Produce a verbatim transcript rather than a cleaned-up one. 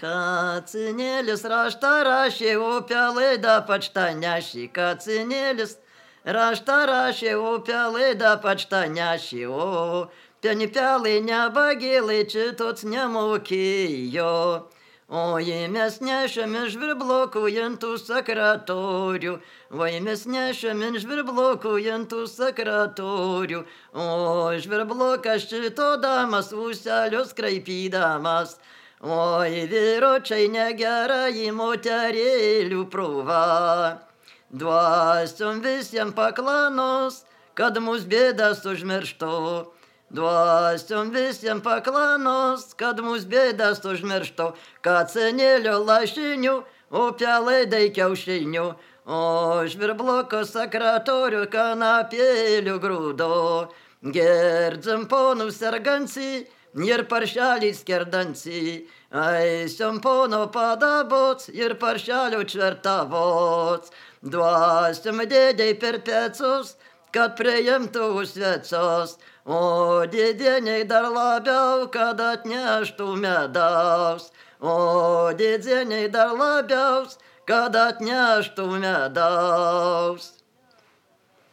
Kacinėlis raštą rašė, upelai da pačta nešė. Kacinėlis raštą rašė, upelai da pačta nešė. O penipelai nebagėlai čitots nemokėjo. O jei mes nešėm iš žvirblokų sekretorių, vai mes nešėm iš žvirblokų sekretorių, o žvirblokas šito damas ūselius kraipydamas. Oi, vyročiai negerai moterėlių prova, duosiom visiems paklanos, kad mūs bėdas užmirštų. Duosiom visiems paklanos, kad mūs bėdas užmirštų, kacinėlio lašinių, upelai dai kiaušinių, o žvirbloko sekretorių kanapėlių grūdo. Gerdzim ponų serganci ir paršelį skerdanci, eisim pono padabots ir paršelio čvertavots. Duosim dėdei per pecus, kad priimtų svecos, o dėdieniai dar labiau, kad atneštų medaus. O dėdieniai dar labiau, kad atneštų medaus.